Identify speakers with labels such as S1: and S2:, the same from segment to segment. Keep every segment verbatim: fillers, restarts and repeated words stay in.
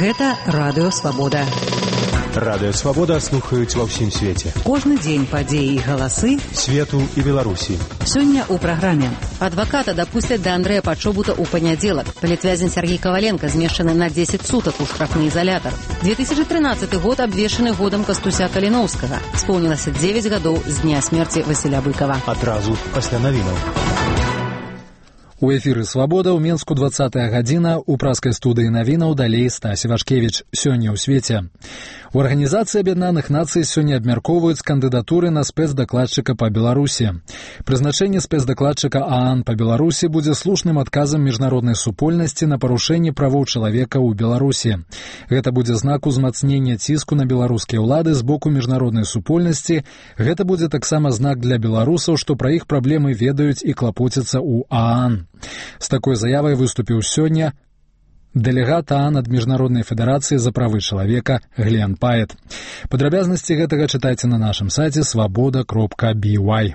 S1: Гэта Радыё Свабода.
S2: Радыё Свабода слухаюць ва ўсім свеце.
S1: Кожны дзень падзеі і галасы
S2: свету і Беларусі.
S1: Сёння ў праграме. Адваката дапусцяць да Андрэя Пачобута ў панядзелак. Палітвязень Сергей Коваленко змешчаны на дзесяць сутак у штрафны изолятор. две тысячи тринадцатый год абвешчаны годам Кастуся Каліноўскага. Споўнілася дзевяць гадоў з дня смерці Васіля Быкова.
S2: Адразу пасля навінаў.
S3: У эфіры «Свабода» ў Менску двадцатая гадзіна, у праскай студыі навінаў далей Стась Івашкевіч. Сёння ў свеце. У Арганізацыі Аб'яднаных Нацый сёння абмяркоўваюць кандыдатуры на спецдакладчыка па Беларусі. Прызначэнне спецдакладчыка ААН па Беларусі будзе слушным адказам міжнароднай супольнасці на парушэнне правоў чалавека ў Беларусі. Гэта будзе знак узмацнення ціску на беларускія ўлады з боку міжнароднай супольнасці. Гэта будзе таксама знак для беларусаў, што пра іх праблемы ведаюць і клапоцяцца ў ААН. З такой заявай выступіў сёння дэлегат ААН ад Міжнароднай федэрацыі за правы чалавека Глен Паэт. Падрабязнасці гэтага чытайце на нашым сайце свабода кропка би вай.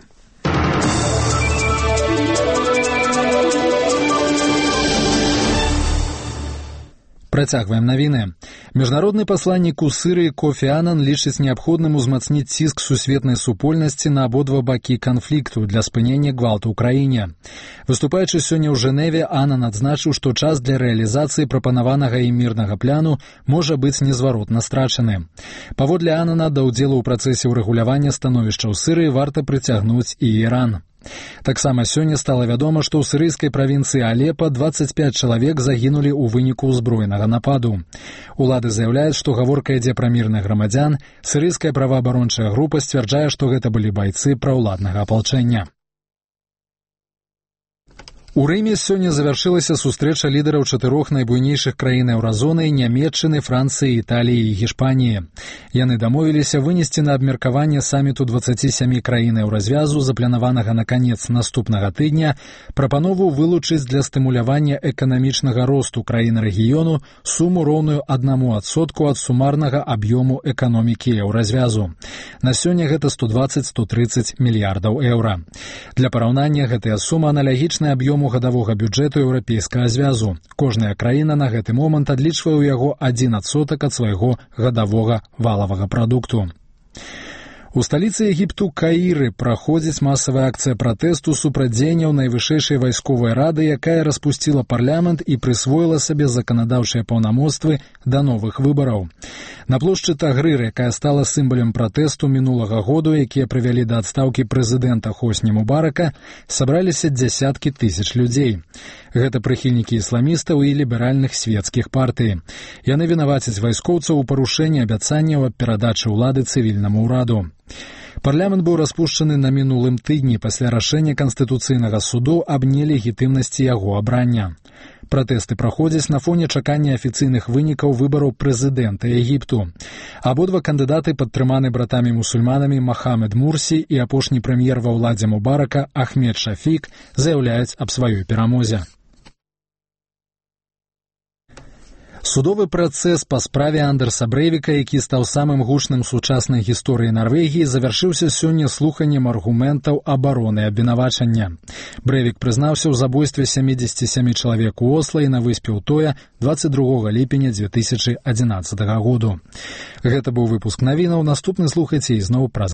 S3: Працягваем навіны. Міжнародны пасланнік у Сырыі Кофі Анан лічыць неабходным узмацніць ціск сусветнай супольнасці на абодва бакі канфлікту для спынення гвалту ў краіне. Выступаючы сёння ў Жэневе, Анан адзначыў, што час для рэалізацыі прапанаванага і мірнага пляну можа быць незваротна страчаны. Паводле Анана, да ўдзелу ў працэсе ўрэгулявання становішча ў Сырыі варта прыцягнуць і Іран. Таксама сёння стала вядома, што ў сірыйскай правінцыі Алепа дваццаць пяць чалавек загінулі ў выніку ўзброенага нападу. Улады заяўляюць, што гаворка ідзе пра мірных грамадзян. Сірыйская праваабарончая група сцвярджае, што гэта былі байцы праўладнага апалчэння. У Рыме сёння завяршылася сустрэча лідараў чатырох найбуйнейшых краін еўразоны – Нямецчыны, Францыі, Італіі і Гішпаніі. Яны дамовіліся вынесці на абмеркаванне саміту дваццаці сямі краін еўразвязу, запланаванага на канец наступнага тыдня, прапанову вылучыць для стымулявання эканамічнага росту краін рэгіёну суму роўную аднаму адсотку ад сумарнага аб'ёму эканомікі еўразвязу. На сёння гэта сто дваццаць - сто трыццаць мільярдаў еўра. Для параўнання гэтая сума аналагічная аб'ёму гадавога бюджэту еўрапейскага звязу. Кожная краіна на гэты момант адлічвае ў яго адзін адсотак ад свайго гадавога валавага прадукту. У сталіцы Егіпту Каіры праходзіць масавая акцыя пратэсту супраць дзеянняў найвышэйшай вайсковай рады, якая распусціла парламент і прысвоіла сабе заканадаўчыя паўнамоцтвы да новых выбараў. На плошчы Тагрыр, якая стала сімвалам пратэсту мінулага году, якія прывялі да адстаўкі прэзідэнта Хосні Мубарака, сабраліся дзясяткі тысяч людзей. Гэта прыхільнікі ісламістаў і ліберальных свецкіх партый. Яны вінавацяць вайскоўцаў у парушэнні абяцанняў аб перадачы ўлады цывільнаму ўраду. Парламент быў распушчаны на мінулым тыдні пасля рашэння Канстытуцыйнага суду аб нелегітымнасці яго абрання. Пратэсты праходзяць на фоне чакання афіцыйных вынікаў выбараў прэзідэнта Егіпту. Абодва кандыдаты падтрыманы братамі-мусульманамі Махамед Мурсі і апошні прэм'ер ва ўладзе Мубарака Ахмед Шафік заяўляюць аб сваёй перамозе. Судовы працэс па справе Андерса Брэйвіка, які стаў самым гучным сучаснай гісторыі Нарвегіі, завяршыўся сёння слуханнем аргументаў абароны абвінавачання. Брэйвік прызнаўся ў забойстве сямідзесяці сямі чалавек у Осла і на выспе Утоя дваццаць другога ліпеня дзве тысячы адзінаццатага году. Гэта быў выпуск навінаў. Наступны слухайце ізноў праз